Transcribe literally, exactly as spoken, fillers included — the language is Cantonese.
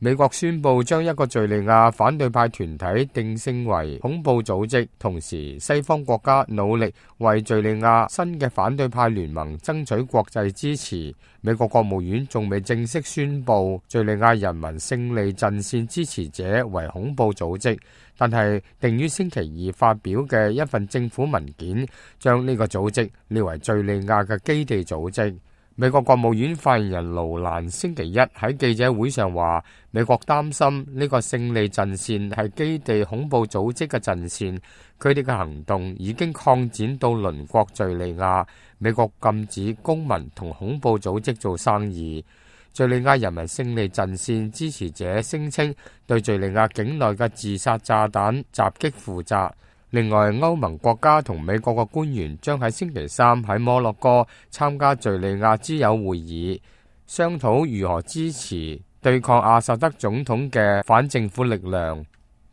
美國宣布將一個敘利亞反對派團體定性為恐怖組織，同時西方國家努力為敘利亞新嘅反對派聯盟爭取國際支持。美國國務院仲未正式宣布敘利亞人民勝利陣線支持者為恐怖組織，但係定於星期二發表嘅一份政府文件，將呢個組織列為敘利亞嘅基地組織。美國國務院發言人盧蘭星期一喺記者會上話，美國擔心呢個勝利陣線係基地恐怖組織嘅陣線，佢哋嘅行動已經擴展到鄰國敘利亞。美國禁止公民同恐怖組織做生意。敘利亞人民勝利陣線支持者聲稱對敘利亞境內嘅自殺炸彈襲擊負責。另外，歐盟國家同美國嘅官員將喺星期三喺摩洛哥參加敘利亞之友會議，商討如何支持對抗阿薩德總統嘅反政府力量。